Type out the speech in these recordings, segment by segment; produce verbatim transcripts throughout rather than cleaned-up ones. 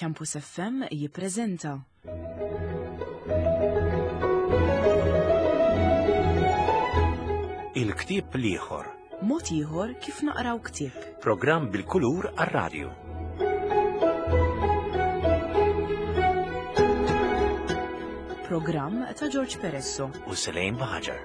Campus F M jippreżenta Il-ktieb l-ieħor. Mod ieħor kif naqraw ktieb. Programm bil-kulur għar-radju. Programm ta' George Peresso. U Selejn Baħaġar.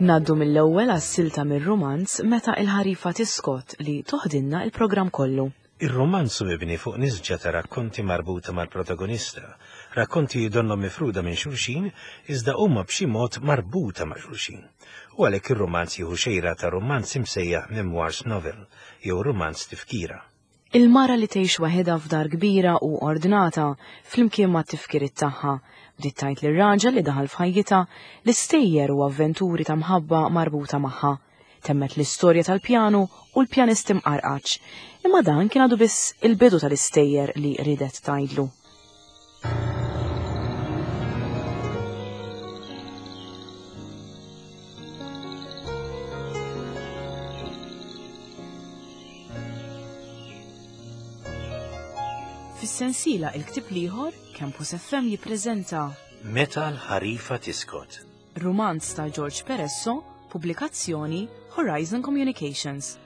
Naddu mill-ewwel għas-silta mir-rumanz Meta il-ħarifa tiskot li toħdinna il-programm kollu. Ir-romanz hu mibni fuq nisġa ta' rakkonti marbuta mal-protagonista. Rakkonti donnhom mifruda minn xulxin, iżda huma b'xi mod marbuta ma' xulxin. U għalhekk ir-romanz jieħu xejra ta' romanz imsejjaħ memoirs novel jew romanz tifkira. Il-mara li tgħix waħedha f'dar kbira u ordnata flimkien ma' tifkiriet tagħha bdiet tgħid lir-raġel li daħal f'ħajjitha l-istejjer u avventuri ta' mħabba marbuta magħha. Temmet l-istorja tal-pjanu u l-pjanist imqarqaċ. Imma dan kien għadu biss il-bidu tal-istejjer li ridet tgħidlu. Fis-sensiela Il-Ktieb l-Ieħor, Campus F M jippreżenta Meta l-ħarifa tiskot. Rumanz ta' George Peresso, pubblikazzjoni Horizon Communications.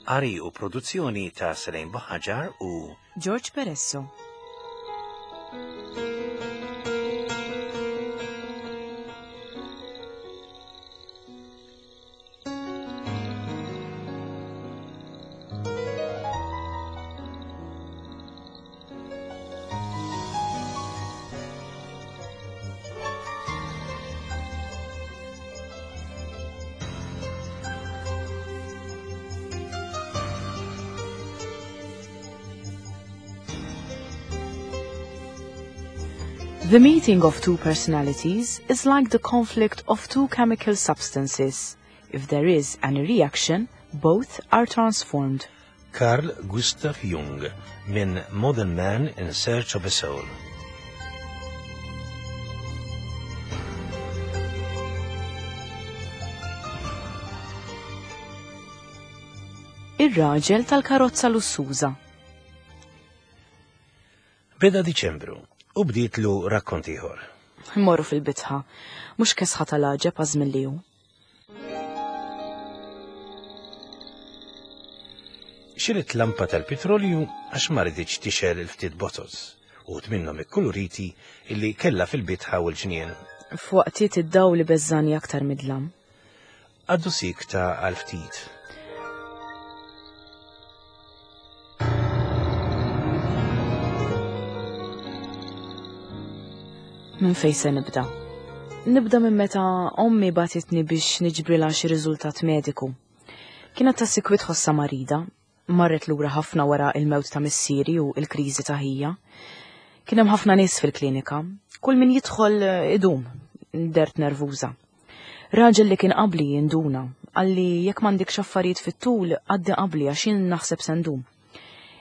Qari u produzzjoni ta' Selejn Baħaġar u George Peresso. The meeting of two personalities is like the conflict of two chemical substances. If there is any reaction, both are transformed. Carl Gustav Jung minn Modern Man in Search of a Soul. Ir-raġel tal-karozza lussuża. Beda Diċembru u bdietlu rakkont ieħor. Morru fil-bitħa, mhux kesħa tal-għaġeb għażmin li hu. Xirit lampa tal-petrolju għax ma riditx tixgħel il-ftit botoz u minnhom ikkuluriti illi kellha fil-bitħa u l-ġnien. F'waqtiet id-dawl li beżżani aktar midlam. Għaddu sikta għal ftit. Minn fejn se nibda? Nibda minn meta ommi bagħtitni biex niġbrilha xi riżultat mediku. Kienet ta' sikwit ħossa marida, marret lura ħafna wara il-mewt ta' missieri u l-kriżi ta' ħija. Kien hemm ħafna nies fil-klinika, kull min jidħol idum, dert nervuża. Raġel li kien qabli jinduna, qalli jekk m'għandekx affarijiet fit-tul għaddi qabli għax jien naħseb se ndum.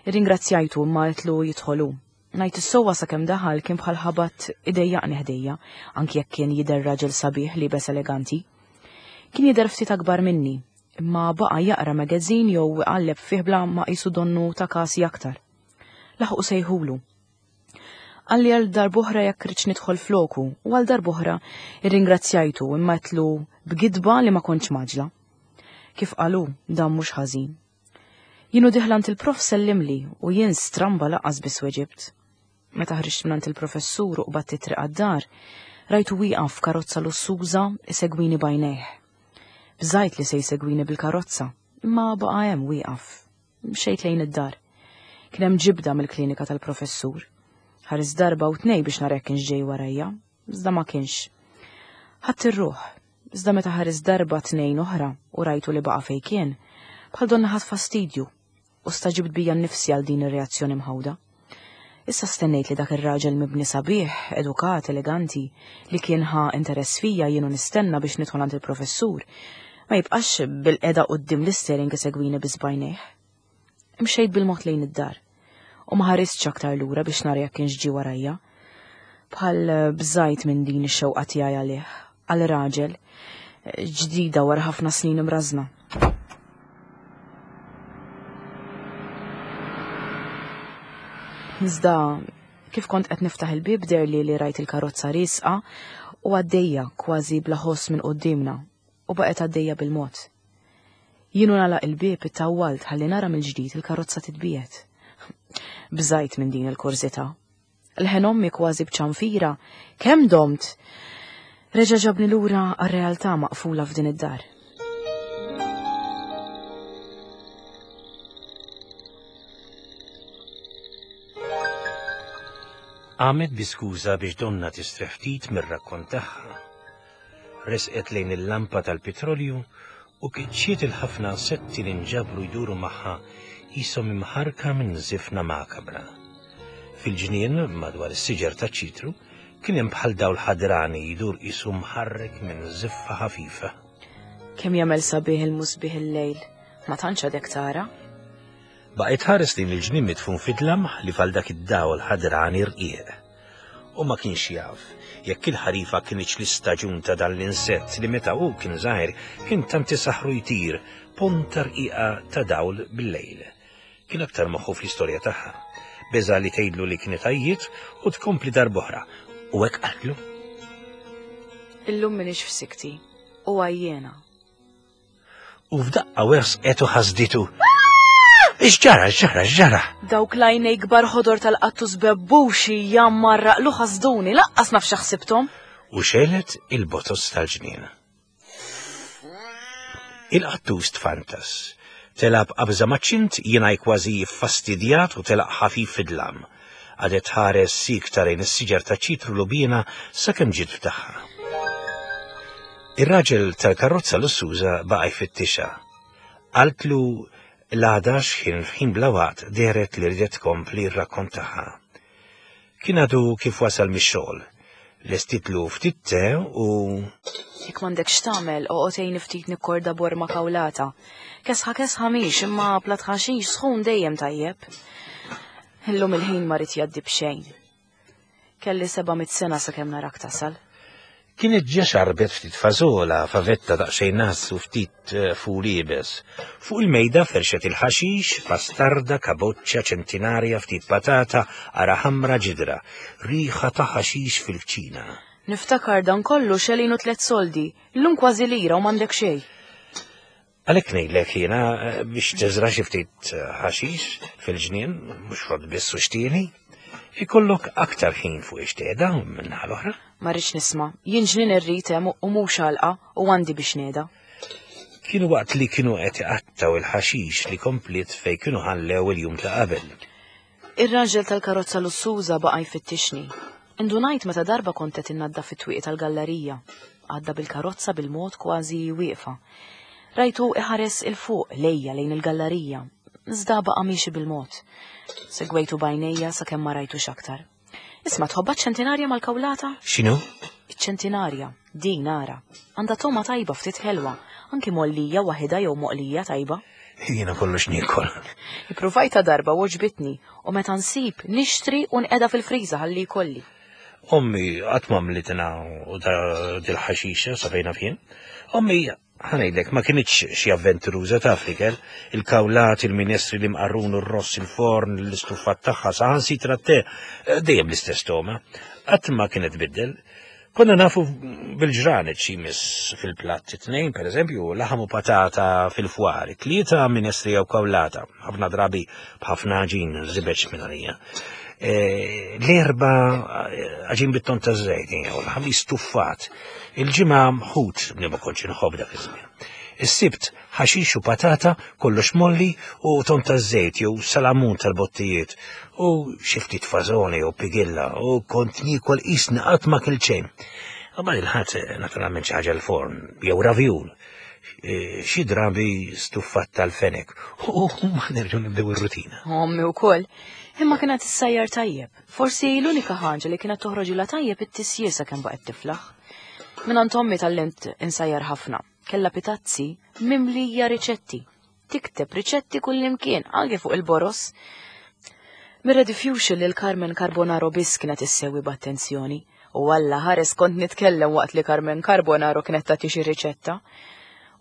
Irringrazzjajtu imma għedtlu jidħol hu. Ngħid is-sewwa sakemm daħal kien bħal ħabat idejjaqni ħdejja, anki jekk kien jidher raġel sabiħ li bes eleganti. Kien jidher ftit akbar minni, imma baqa' jaqra magazin jew iqalleb fih bla ma qisu donnu ta' kasi aktar. Laħqu sejħulu. Qalli għal darb'oħra jekk rridx nidħol floku u għal darb'oħra irringrazzjajtu imma għedtlu b'gidba li ma kontx maġla. Kif qalu, dan mhux ħażin. Jienu diħlant il-prof sellimli u jien stramba laqqas biss weġibt. Meta ħriġt minn il-professur u qbadt it-triq għad-dar, rajtu wieqaf f'karozza lussuża isegwini b'għajnejh. Bżajt li se jsegwini bil-karozza, imma baqa' hemm wieqaf. Mxejt lejn id-dar. Kien hemm ġibda mill-klinika tal-professur. Ħares darba u tnej biex nara jekk kienx ġej warajja, iżda ma kienx. Ħadd ir-ruħ, iżda meta ħares darba tnejn oħra u rajtu li baqa' fejn kien, bħal donna ħadd fastidju u staġibt bija nnifsi għal din ir-reazzjoni mħawda. Issa stennejt li dak ir-raġel mibni sabiħ, edukat, eleganti, li kien ħa interess fija jienu nistenna biex nidħol għand il-professur, ma jibqax bil-qeda quddiem l-istering isegwini biss b'għajnejh. Imxejt bil-mod lejn id-dar u ma ħaristx aktar lura biex nara jekk kienx ġie warajja. Bħal bżajt minn din ix-xewqa tiegħi għalih, għal raġel, ġdida wara ħafna snin imrażna. Iżda kif kont qed niftaħ il-bieb deherli li rajt il-karozza riesqa u għaddejja kważi bla ħoss minn quddiemna u baqgħet għaddejja bil-mod. Jien u nagħlaq il-bieb ittawwalt ħalli nara mill-ġdid il-karozza titbiegħed. Bżajt minn din il-kurżità. Leħen ommi kważi b'ċanfira, kemm domt? Reġa' ġabni lura għar-realtà maqfula f'din id-dar. Qamet bi skuża biex donna tistrieħ ftit mir-rakkont tagħha. Resqet lejn il-lampa tal-petrolju u kiċċiet il-ħafna insetti li nġabru jduru magħha qishom imħarka minn żifna makabra. Fil-ġnien madwar is-siġar taċ-ċitru kien hemm bħal dawl ħadrani jdur qisu mħarrek minn żiffa ħafifa. Kemm jagħmel sabiħ il-musbieħ il-lejl, ma tantx għadek tara. Baqgħet ħares lejn il-ġnien mitfun fid-dlam li fal dak id-dawl ħadrani rqiq. U ma kienx jaf jekk il-ħarifa kienx l-istaġun ta' dan l-insett li meta hu kien żgħir kien tant isaħħru jtir ponta rqiqa ta' dawl bil-lejl. Kien aktar moħħu fl-istorja tagħha. Beża li tgħidlu li kienet għajjiet u tkompli darb'oħra. U hekk qaltlu. Illum m'iniex f'sikti u għajjena. U f'daqqa wersqet u ħasditu. X'ġara, x'ġara, x'ġara? Dawk l-għajnej kbar ħodor tal-qattus bebbuxi jammarraqlu ħasduni, laqqas naf x'ħsibthom. U xelet il-botos tal-ġnien. Il-qattus tfantas. Telab qabża maċ-ċint jiena kważi ffastidjat u telaq ħafif fid-dlam. Għadet ħares sikta lejn is-siġar ta' ċitru lubina sakemm ġiet f'tagħha. Ir-raġel tal-karozza lussuża baqa' jfittixha. Qaltlu l-għada x'ħin f'ħin bla waqt dehret li ridet tkompli r-rakkont tagħha. Kien għadu kif wasal mix-xogħol. Lestitlu ftit te u Jekk m'għandekx tagħmel, oqgħod għinni ftit nikkorda borma kawlata. Kesħa kesħa mhix, imma plat ħaxix sħun dejjem tajjeb. Illum il-ħin ma rid jgħaddi b'xejn. Kelli seba' mitt sena sakemm narak tasal. Kienet ġa xarbet ftit fażola, favetta daqsxejn nas u ftit eh, ful iebes. Fuq il-mejda ferxet il-ħaxix, pastarda, kaboċċa, ċentinarja, ftit patata, ara ħamra ġidra, riħa ta' ħaxix fil-kċina. Niftakar dan kollu xelinu tliet soldi, illum kważi lira u m'għandek xejn. Għalhekk ngħidlek jiena eh, biex teżra xi ftit eh, ħaxix fil-ġnien, mhux frott biss u xtieni, ikollok aktar ħin fuq ix-tgħeda minn naħa l-oħra. Ma rridx nisma', jien ġnien irrid hemm u mhux għalqa u għandi biex ngħeda. Kienu waqt li kienu qed iqattaw il-ħaxix li kompliet fejn kienu ħallew il-jum ta' qabel. Ir-raġel tal-karozza lussuża baqa' jfittixni. Indunajt meta darba kont qed innaddaf fit-twieqi tal-gallerija. Għadda bil-karozza bil-mod kważi wieqfa. Rajtu iħares il-fuq lejja lejn il-gallerija. Iżda baqa' miexi bil-mod. Segwejtu b'għajnejja sakemm ma rajtux aktar. Isma' tħobbha ċ-ċentinarja mal-kawlata? X'inhu? Iċ-ċentinarja, din ara. Għandha toma tajba ftit ħelwa, anki mollija waħida jew moqlija tajba. Jiena kollox niekol. Ippruvajta darba u għoġbitni u meta nsib nixtri u nqeda fil-friża ħalli jkolli. Ommi qatt ma mlitina u da dil-ħaxixa sa fejn naf jien. Ommi ħa ngħidlek ma kinitx xi avventuruża taf l-ikel, il-kawlat, il-minestri li mqarrun u r-ross il-forn, l-istuffat tagħha, saħansitra t-te, dejjem l-istess toma. Qatt ma kienet tbiddel. Konna nafu bil-ġranet xi jmiss fil-platt it-tnejn, per eżempju, laħam u patata fil-fwar, tlieta minestri jew kawlata, ħafna drabi b'ħafna għaġin żibeġ minn għalija. Eh, L-erba għaġin bit-ton ta' żejt, jew l-ħamis stuffat. Il-ġimgħa ħut li ma kontx inħobb dak iż-żmien. Is-Sibt ħaxix u patata, kollox molli u ton ta' żejt jew salamun tal-bottijiet u xi ftit fażoni jew pigilla u kont niekol qisni qatt ma kilt xejn. Qabel il-Ħadd naturalment xi ħaġa l-forn jew ravjul. Eh, Xi drabi stuffat tal-fenek u ma nerġgħu nibdew ir-rutina. Ommi wkoll. Imma kienet issajjar tajjeb. Forsi l-unika ħaġa li kienet toħroġilha tajjeb it-tisjir sakemm baqgħet tiflaħ. Mingħand ommi tgħallimt insajjar ħafna. Kellha pitazzi mimlija riċetti. tikteb riċetti kullimkien, anke fuq il-boros. Mir-rediffusion lil Carmen Carbonaro biss kienet issegwi b'attenzjoni, u Alla ħares kont nitkellem waqt li Carmen Carbonaro kienet tagħti xi riċetta.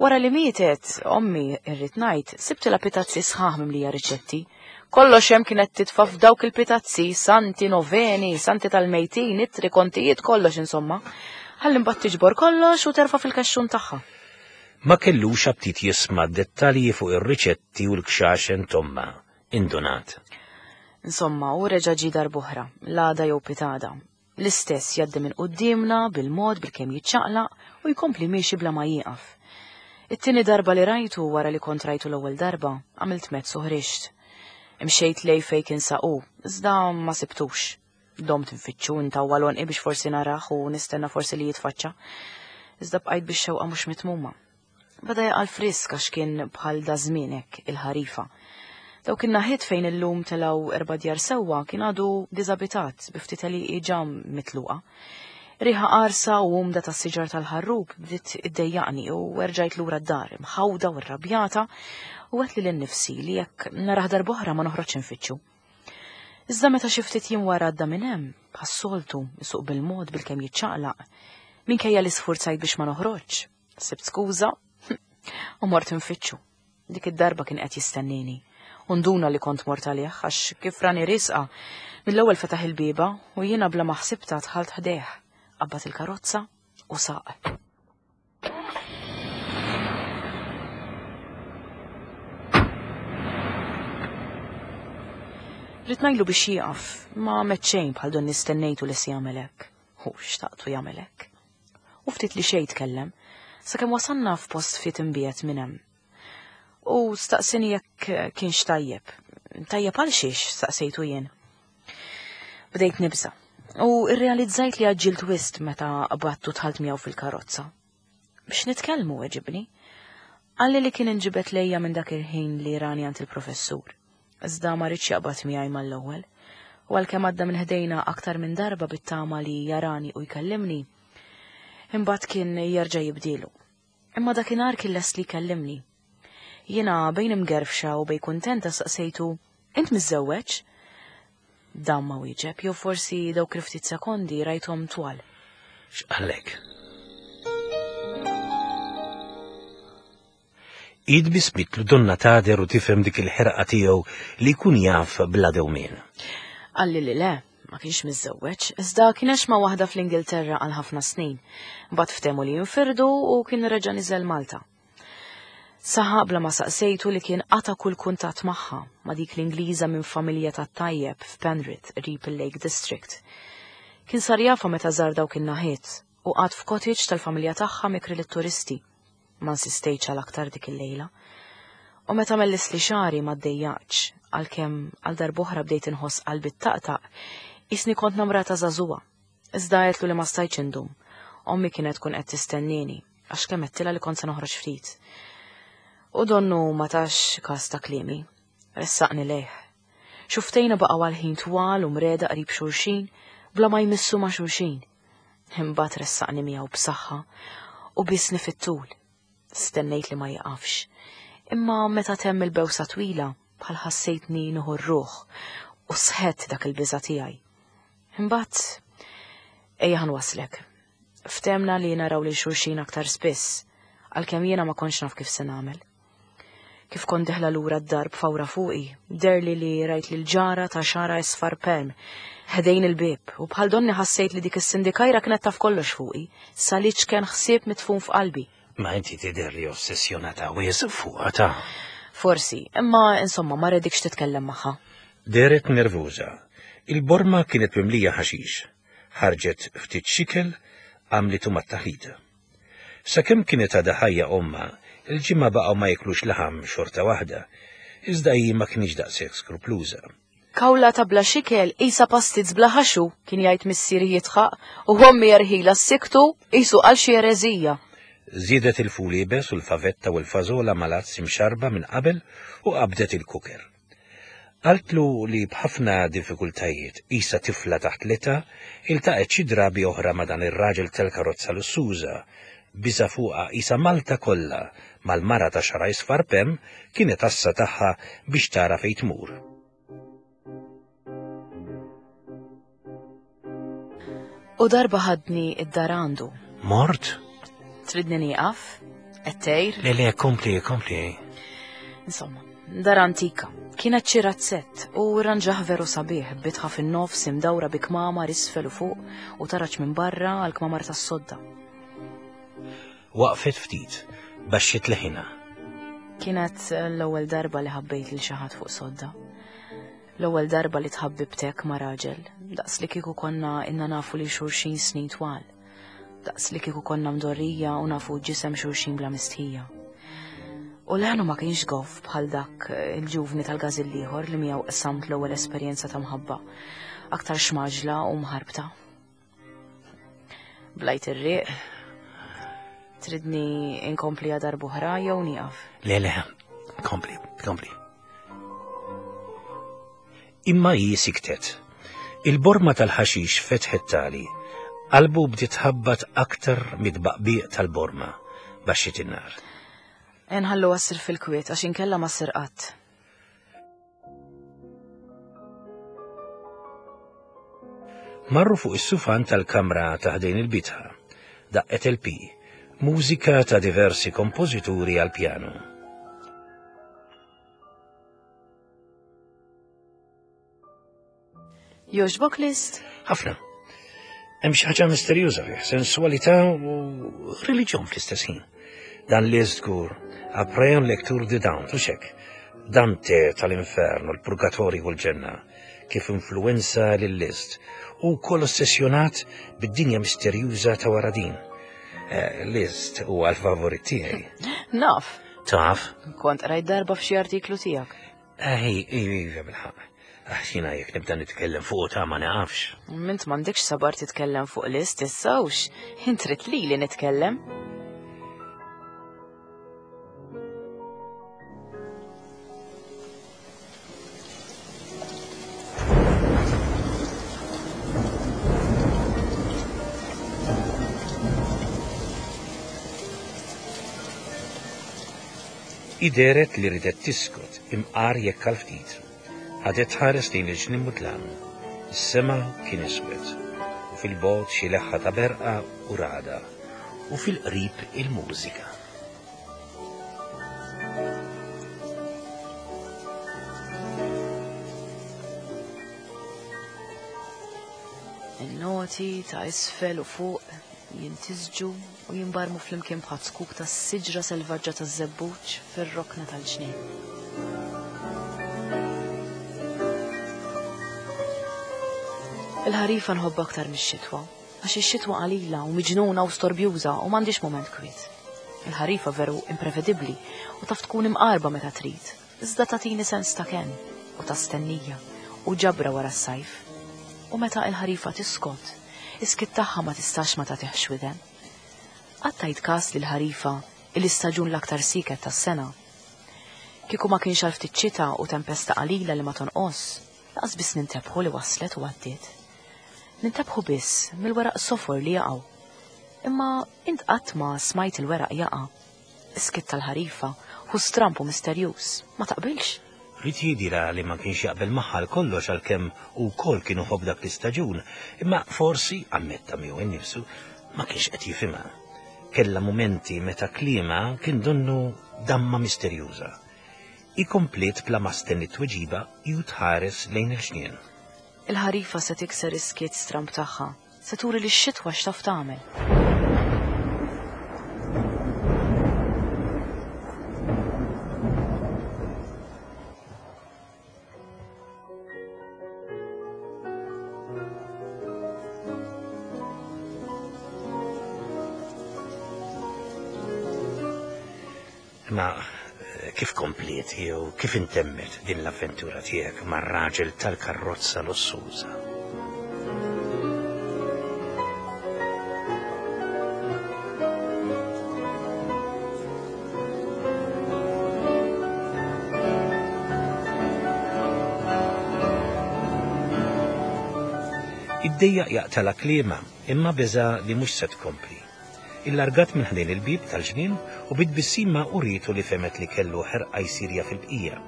Wara li mietet, ommi, irrid ngħid, sibtilha pitazzi sħaħ mimlija riċetti. Kollox hemm kienet titfa' f'dawk il-pitazzi, santi, noveni, santi tal-mejtin, ittri, kontijiet, kollox insomma. Ħalli mbagħad tiġbor kollox u terfa' fil-kaxxun tagħha. Ma kellux aptit jisma' dettalji fuq ir-riċetti u l-kxaxen t'ommha, indunat. Insomma, u reġa' ġie darb'oħra, l-għada jew pitada. L-istess jgħaddi minn quddiemna bil-mod bil-kemm jiċċaqlaq u jkompli miexi bla ma jieqaf. It-tieni darba li rajtu wara li kont rajtu l-ewwel darba, għamilt mezz u ħriġt. Imxejt lej fejn kien saqu, iżda ma sibtux. Domt nfittxu ntawwal għonqi biex forsi narah u nistenna forsi li jitfaċċa. Iżda bqajt bix-xewqa mhux mitmuma. Beda jaqa' l-frisk għax kien bħal da żmien hekk il-ħarifa. Dawk in-naħiet fejn illum telgħu erba' djar sewwa kien għadu diżabitat bi ftit għelieqi ġa mitluqa. Riħa qarsa u umda tas-siġar tal-ħarrub bdiet iddejjaqni u erġajt lura d-dar imħawda u rrabjata u għedt lili nnifsi li jekk narah darb'oħra ma noħroġx infittxu. Iżda meta xi ftit jiem wara għadda minn hemm, bħas-soltu, isuq bil-mod bilkemm jiċċaqlaq, minkejja li sfurzajt biex ma noħroġx, sibt skuża u mort infittxu. Dik id-darba kien qed jistennini. U nduna li kont mort għalih għax kif rani risqa, mill-ewwel fetaħ il-bieba u jiena bla ma ħsibta dħalt ħdejh. Qabad il-karozza u saq. Ridt ngħidlu biex jieqaf, ma għamet xejn bħal donni stennejtu li se jagħmel hekk. Hu xtaqtu jagħmel hekk. U ftit li xejn tkellem, sakemm wasalna f'post ftit imbiegħed minn hemm. U staqsini jekk kienx tajjeb. Tajjeb għal xiex, staqsejtu jien. Bdejt nibża'. U rrealizzajt li għaġġilt wisq meta qbadt u dħalt miegħu fil-karozza. Biex nitkellmu weġibni. Qalli li kien inġibed lejja minn dak il-ħin li rani għand il-professur. Iżda ma ridx jaqbad miegħi mal-ewwel. U għalkemm għadda minn ħdejna aktar minn darba bit-tama li jarani u jkellimni, imbagħad kien jerġa' jibdilu. Imma dakinhar kien lest li jkellimni. Jiena bejn imgerfxa u bejn kuntenta staqsejtu, int miżżewweġ? Dan ma wieġeb, jew forsi dawk il-ftit sekondi rajthom twal. X'qallek? Id bismitlu donna tader u tifhem dik il-ħerqa tiegħu li jkun jaf bla dewmien. Qalli li le, ma kienx miżżewweġ, iżda kien għex ma' waħda fl-Ingilterra għal ħafna snin. Mbagħad ftehmu li jinfirdu u kien reġa' niżel Malta. Saħaq bla ma saqsejtu li kien qata' kull kuntatt magħha, ma' dik l-Ingliża minn familja tat-tajjeb f'Penrith, qrib il-Lake District. Kien sar jafha meta żar dawk in-naħiet u qagħad f'cottage tal-familja tagħha mikri lit-turisti. Ma insistejtx għal aktar dik il-lejla. U meta mellisli xagħri ma ddejjaqtx, għalkemm għal darb'oħra bdejt inħoss qalbi ttaqtaq, qisni kont namrata żagħżugħa. Iżda għedtlu li ma stajtx indum. Ommi kienet tkun qed tistennieni, għax kemm għedtilha li kont se noħroġ ftit. U donnu ma tax kas ta' kliemi. Ressaqni lejh. Xuftejna baqgħu għal ħin twal u mreda qrib xulxin, bla ma jmissu ma' xulxin. Imbagħad ressaqni miegħu b'saħħa u bisni fit-tul. Stennejt li ma jiqafx. Imma meta temm il-bewsa twila, bħal ħassejtni nieħu r-ruħ u sħett dak il-biża' tiegħi. Imbagħad ejja ħanwaslek. Ftemna li naraw lil xulxin aktar spiss, għalkemm jiena ma kontx naf kif se nagħmel. Kif kont deħla lura d-dar b'fawra fuqi, derli li rajt lil ġara ta' xara isfar perm, ħdejn il-bieb, u bħal donni ħassejt li dik is-sindikajra kienet taf kollox fuqi, saliċ kien ħsieb mitfun f'qalbi. Ma inti tidher li ossessjonata wisq fuqha ta'. Forsi, imma insomma ma redikx titkellem magħha. Dehret nervuża. Il-borma kienet mimlija ħaxix. Ħarġet ftit xikel, għamlitu mat-taħlita. Sakemm kienet għadha ħajja ommha, il-ġimgħa baqgħu ma jiklux laħam xorta waħda, iżda hi ma kienx daqshekk skrupluża. Kawla ta' bla xikel qisha pastizz bla ħaxu, kien jgħid missieri jitħaq, u ommi jerħilha s-siktu qisu għal xi ereżija. Żiedet il-ful iebes u l-favetta u l-fażola mal-għads imxarba minn qabel u qabdet il-kuker. Qaltlu li b'ħafna diffikultajiet qisha tifla taħt l-età iltaqgħet xi drabi oħra ma' dan ir-raġel tal-karozza lussuża, Biża fuqha qisha Malta kollha mal-mara ta' xara isfar pem kienet assa tagħha biex tara fejn tmur. U darba ħadni id-dar għandu. Mort? Tridni nieqaf? Qed tgħir? Le le, kompli, kompli. Insomma, dar antika. Kienet xi razzett u ranġaħ veru sabiħ, bitħa fin-nofs imdawra bi kmamar isfel u fuq u taraġ minn barra għal kmamar tas-sodda. Waqfet ftit, baxxiet leħinha. Kienet l-ewwel darba li ħabbejt lil xi ħadd fuq sodda. L-ewwel darba li tħabbibtek ma' raġel, daqs li kieku konna inna nafu li xulxin snin twal. Daqs li kieku konna mdorrija u nafu ġisem xulxin bla mistħija. U leħnu ma kienx goff bħal dak il-ġuvni tal-gażill ieħor li miegħu qsamt l-ewwel esperjenza ta' mħabba, aktar xmaġla u mħarbta. Blajt ir-riq. Tridni inkompli darb'oħra jew nieqaf? Le le, kompli, kompli. Imma hi siktet. Il-borma tal-ħaxix fetħet tali. Qalbu bdiet tħabbat aktar mid-baqbiq tal-borma baxxiet in-nar. Nħallu għassir fil-kwiet għax inkella ma ssir qatt. Marru fuq is-sufan tal-kamra ta' ħdejn il-bitħa. Daqqet L P, mużika ta' diversi kompożituri għal pjanu. Jogħġbok Liszt? Ħafna. Hemm xi ħaġa misterjuża fih, sensualità u reliġjon fl-istess ħin. Dan Liszt żgur, après un lecture de Dante, u xek. Dante tal-inferno, l-purgatorju u l-ġenna, kif influenza lil Liszt u wkoll ossessjonat bid-dinja misterjuża ta' wara din. Eh, Liszt huwa l-favorit tiegħi. Naf. Taf? Kont qrajt darba f'xi artiklu tiegħek. Ej, iva bil-ħaqq. Għax jiena jekk nibda nitkellem fuq ta' ma nafx. Mint m'għandekx sabar titkellem fuq Liszt issa hux. Int trid lili nitkellem. Ideret li ridet tiskot imqar jekk għal ftit. Ħadet ħares lejn il-ġnien mudlam. Is-sema kien iswed, u fil-bogħod xi leħħa ta' berqa u rada, u fil-qrib il-mużika. In-noti ta' isfel u fuq jintisġu u jimbarmu flimkien bħal zkuk ta' siġra selvaġġa ta' żebbuġ fir-rokna tal-ġnien. Il-ħarifa nħobb aktar mix-xitwa, għax ix-xitwa qalila u miġnuna u storbjuża u m'għandix mument kwiet. Il-ħarifa veru imprevedibbli u taf tkun imqarba meta trid, iżda tagħtini sens ta' kenn u ta' stennija u ġabra wara s-sajf. U meta il-ħarifa tiskot, is-skit tagħha ma tistax ma tagħtihx widen. Qatt tajt każ li l-ħarifa il-istaġun l-aktar siket tas-sena. Kieku ma kienx għal ftit xita u tempesta qalila li ma tonqos, laqas biss nintebħu li waslet u għaddiet. Nintebħu biss mill-weraq sofor li jaqgħu. Imma int qatt ma smajt il-weraq jaqa'. Is-skit tal-ħarifa hu stramp u misterjuż, ma taqbilx? Ried jidhirha li ma kienx jaqbel magħha kollox għalkemm u wkoll kienu ħobb dak l-istaġun, imma forsi ammetta miegħu innifsu ma kienx qed jifhimha. Kellha mumenti meta kliema kien donnu damma misterjuża. Ikomplet bla ma stenniet tweġiba ju tħares lejn il-ġnien. Il-ħarifa se tikser is-skiet stramp tagħha, se turi li x-xitwa x'taf tagħmel. Ma kif kompliet jew kif intemmet din l-avventura tiegħek mar-raġel tal-karrozza lussuża? Iddejjaq jaqtala kliema imma beża li mhux se tkompli. Illargat minn ħdejn il-bieb tal-ġnien u bit-tbissima urietu li fehmet li kellu ħerqa jsir jaf il-bqija.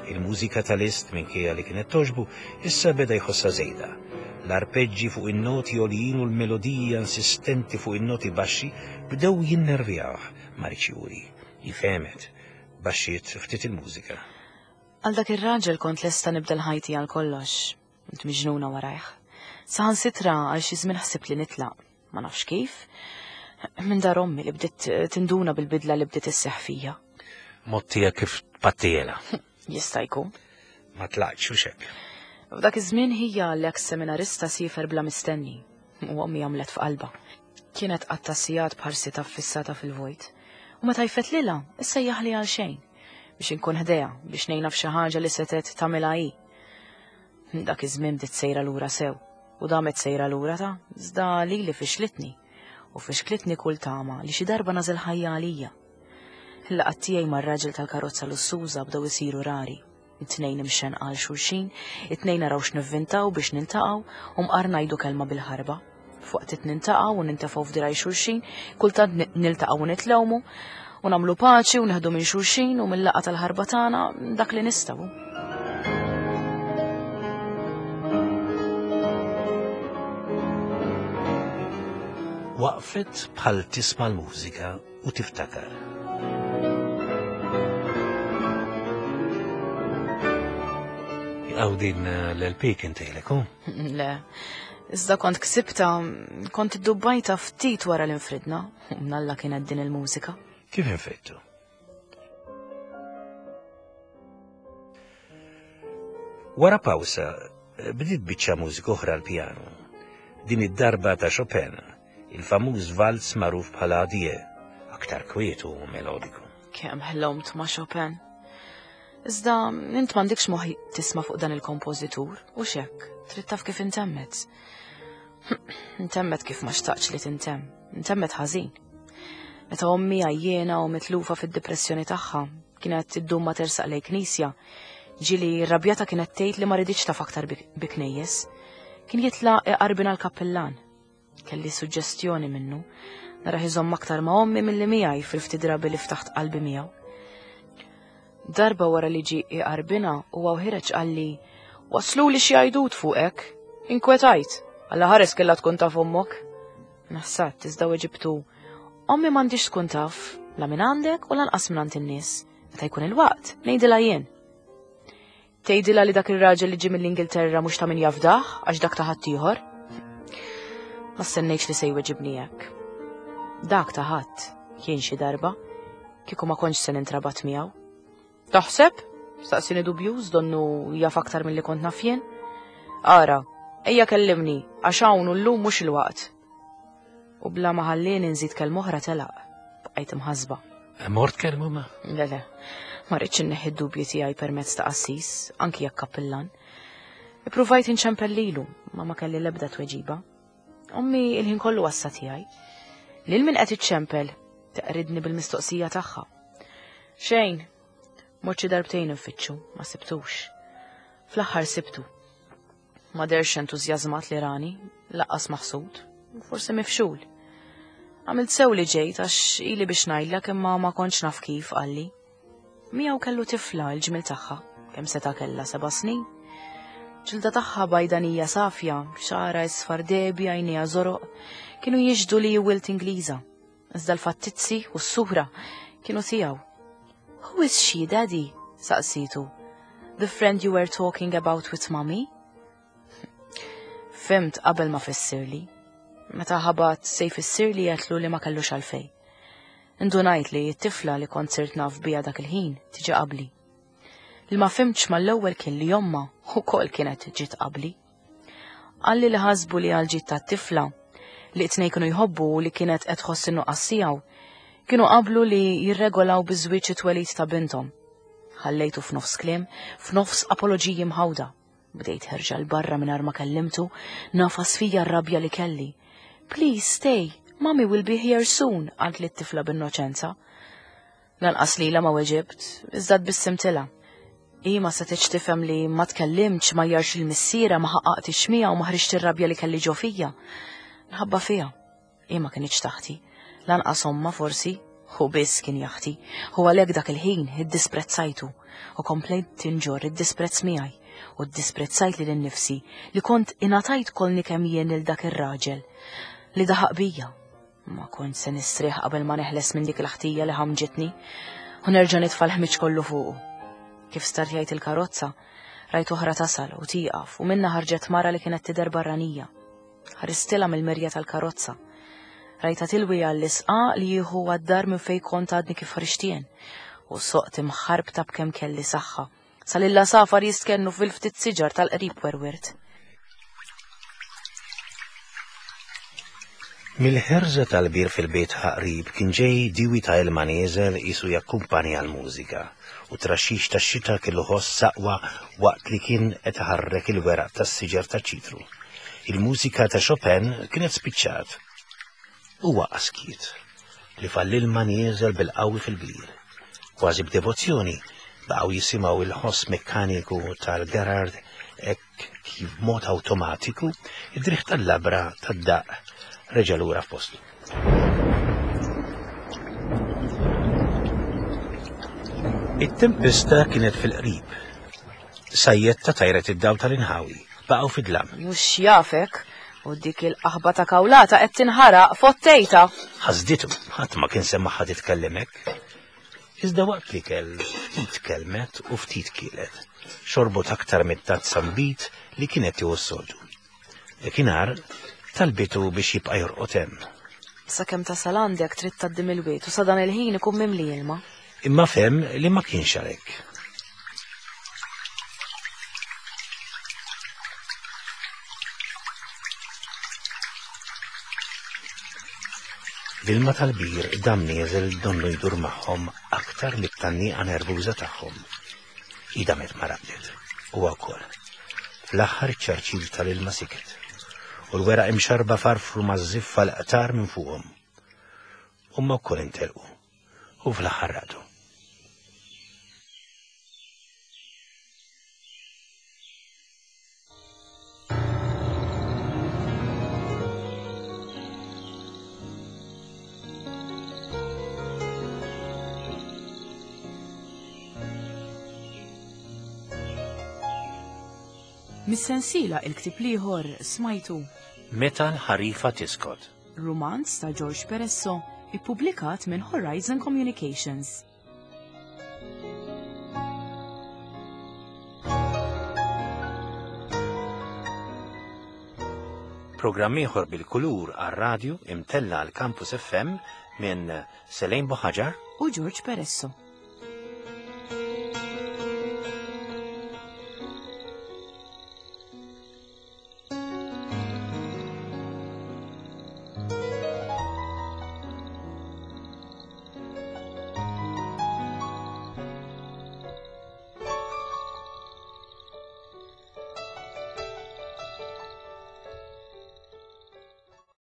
Il-mużika ta' Liszt minkejja li kienet togħġbu issa beda jħossha żejda. L-arpeġġi fuq in-noti għoljin u l-melodija insistenti fuq in-noti baxxi bdew jinnervjawh, ma riedx juri. Hi fehmet, baxxiet ftit il-mużika. Għal dak ir-raġel kont lesta nibdel ħajti għal kollox. Kont miġnuna warajh. Saħansitra għal xi żmien ħsibt li nitlaq. Ma nafx kif. Minn dar ommi li bdiet tinduna bil-bidla li bdiet isseħħ fija. Mod tiegħek kif tpattielha. Jista' jkun. Ma tlaqtx u xek. F'dak iż-żmien ħija l-eks seminarista siefer bla mistenni u ommi għamlet f'qalba. Kienet qatta' sigħat b'ħarsitha ffissata fil-vojt. U meta jfettlilha, issejjaħli għal xejn biex inkun ħdejha biex ngħinha f'xi ħaġa li setgħet tagħmilha hi. Dak iż-żmien bdiet sejra lura sew u damet sejra lura ta' iżda lili fixlitni u fixklitni kull tama li xi darba nagħżel ħajja għalija. Il-laqgħat tiegħi mar-raġel tal-karozza lussuża bdew isiru rari. It-tnejn imxenqa għal xulxin, it-tnejn naraw x'nivvintaw biex niltaqgħu u mqar ngħidu kelma bil-ħarba. F'waqt niltaqgħu u nintefgħu f'dirgħajn xulxin, kultant niltaqgħu u nitlewmu u nagħmlu paċi u neħdu minn xulxin u mill-laqgħa tal-ħarba tagħna dak li nistgħu. Waqfet bħal tisma' l-mużika u tiftakar. Għaw din l-L P kien tejlek, hu? Le, iżda kont ksibta, kont iddubbajta ftit wara l-infridna, u mnalla kienet din il-mużika. Kif infridtu? Wara pawsa, bdiet biċċa mużika oħra l-pjanu. Din id-darba ta' Chopin, il-famuż valz magħruf bħala Adieu, aktar kwiet u melodiku. Kemm ħlomt ma' Chopin. Iżda int m'għandekx moħħ tisma' fuq dan il-kompożitur, u xek, trid taf kif intemmet. Intemmet kif ma xtaqx li tintemm, intemmet ħażin. Meta ommi għajjena u mitlufa fid-depressjoni tagħha, kienet iddum ma tersaq lejn knisja, ġieli rrabjata kienet tgħid li ma riditx taf aktar bi knejjes. Kien jitla' iqarbina l-kappillan. Kelli suġġestjoni minnu, narah iżomm aktar ma' ommi milli miegħi fil-ftit drabi li ftaħt qalbi miegħu. Darba wara li ġi iqarbina u ħiereġ qalli, "Wasluli xi għajdut fuqek, inkwetajt, Alla ħares kella tkun taf ommok." Naħsat, iżda weġibtu, "Ommi m'għandix tkun taf, la minn għandek u lanqas minn għand in-nies. Meta jkun il-waqt, ngħidilha jien." "Tgħidilha li dak ir-raġel li ġie mill-Ingilterra mhux ta' min jafdah għax dak ta' ħaddieħor?" Ma stennejtx li se jweġibni hekk. Dak ta' ħadd kien xi darba, kieku ma kontx se nintrabat miegħu. "Taħseb?" Staqsini dubjuż, donnu jaf aktar milli kont naf jien. "Ara, ejja kellimni, għax hawn u llum mhux il-waqt." U bla ma ħallini nżid kelma oħra telaq. Bqajt imħasba. Mort kellmu ma? Le, le, ma rridx inneħħi d-dubji tiegħi permezz ta' qassis, anki jekk kappillan. Ippruvajt inċempel lilu, ma ma kelli l-ebda tweġiba. Ommi il-ħin kollu għassa tiegħi. "Lil min qed iċċempel?" teqridni bil-mistoqsija tagħha. Xejn, mort xi darbtejn infittxu, ma sibtux. Fl-aħħar sibtu. Ma dehrx entużjażmat li rani, lanqas maħsud, forsi mifxul. "Għamilt sew li ġejt għax ili biex ngħidlek imma ma kontx naf kif," qalli. Miegħu kellu tifla il-ġmil tagħha, kemm seta' kellha, seba' snin. Ġilda tagħha bajdanija safja, xagħarha isfar dehbi, għajnejha żoroq, kienu jixhdu li wild Ingliża. Iżda l-fattizzi u s-sura kienu tiegħu. "Who is she, Daddy?" saqsitu. "The friend you were talking about with Mommy?" Fhimt qabel ma fissirli. Meta ħabat se jfissirli għedtlu li ma kellux għalfejn. Indunajt li t-tifla li kont sirt naf bija dak il-ħin tiġi qabli. Li ma fhimtx mal-ewwel kien li ommha ukoll kienet ġiet qabli. Qalli li ħasbu li għal ġid tat-tifla li t-tnejn kienu jħobbu u li kienet qed tħoss in-nuqqas tiegħu, kienu qablu li jirregolaw biż-żwieġ it-twelid ta' binthom. Ħallejtu f'nofs kliem, f'nofs apoloġiji mħawda. Bdejt ħerġa 'l barra mingħajr ma kellimtu, nagħfas fija r-rabja li kelli. "Please stay, Mommy will be here soon," qaltli t-tifla b'innoċenza. Lanqas lilha ma weġibt, iżda tbissimtilha. Hi ma setgħetx tifhem li ma tkellimtx, ma jarx il-missiera, ma ħaqqaqtix miegħu u ma ħriġt ir-rabja li kelli ġo fija. Nħabba fija. Hi ma kinitx taħti. Lanqas omma forsi, hu biss kien jaħti, u għalhekk dak il-ħin iddisprezzajtu u komplejt tinġorr id-disprezz miegħi u ddisprezzajt lili nnifsi li kont ingħatajt kolni kemm jien lil dak ir-raġel li daħaq bija. Ma kont se nistrieħ qabel ma neħles minn dik il-ħtija li ħamġitni u nerġa' nitfa' l-ħmiġ kollu fuqu. Kif startjajt il-karozza, rajt oħra tasal u tieqaf u minna ħarġet mara li kienet tidher barranija. Ħaristilha mill-mirja tal-karozza. Rajta tilwi għall-isqa li jieħu għad-dar minn fejn kont għadni kif ħriġtien u soqt imħarbta b'kemm kelli saħħa. Salilla safar jistkennu fil-ftit siġar tal-qrib werwirt. Mill-ħerża tal-bir fil-bejt qrib kien ġej diwi ta' ilma nieżel qisu jakkumpanja l-mużika u traxix tax-xita kellu ħoss saqwa waqt li kien qed iħarrek il-weraq tas-siġar taċ-ċitru. Il-mużika ta' Chopin kienet spiċċat. Huwa askiet li fall-ilma nieżel bil-qawwi fil-bir. Kważi b'devozzjoni baqgħu jisimgħu il-ħoss mekkaniku tal-Gerard hekk kif b'mod awtomatiku id-driħ tal-labra tad-daq reġa' lura f'postu. It-tempesta kienet fil-qrib. Sajjetta tajret id-dawl tal-inħawi, baqgħu fid-dlam. Mhux jafek, u dik il-qaħba ta' kawlata qed tinħaraq fottejta. Ħasditu, ħadd ma kien semmaħħa titkellem hekk. Iżda waqt li kell ftit kelmet u ftit kielet. Xorbot aktar mit-tazza nbid li kienet tieħu s-soltu. Dakinhar talbitu biex jibqa' jorqod hemm. Sakemm tasal għandek trid tgħaddi mill-wied u sa dan il-ħin ikun mimli ilma. Imma fehem li ma kienx għalhekk. L-ilma tal-bir dam nieżel donnu jdur magħhom aktar mit-tannija nervuża tagħhom. Hi damet ma raqdet, huwa wkoll. Fl-aħħar iċ-ċarċir tal-ilma siket u l-weraq imxarba farfru maż-żiffa l-qtar minn fuqhom. Huma wkoll intelqu u fl-aħħar raqdu. Mis-sensiela il-ktieb l-ieħor smajtu Meta l-ħarifa tiskot. Rumanz ta' George Peresso, ippubblikat minn Horizon Communications. Programm ieħor bil-kulur għar-radju imtella għal Campus F M minn Selene Buhagiar u George Peresso.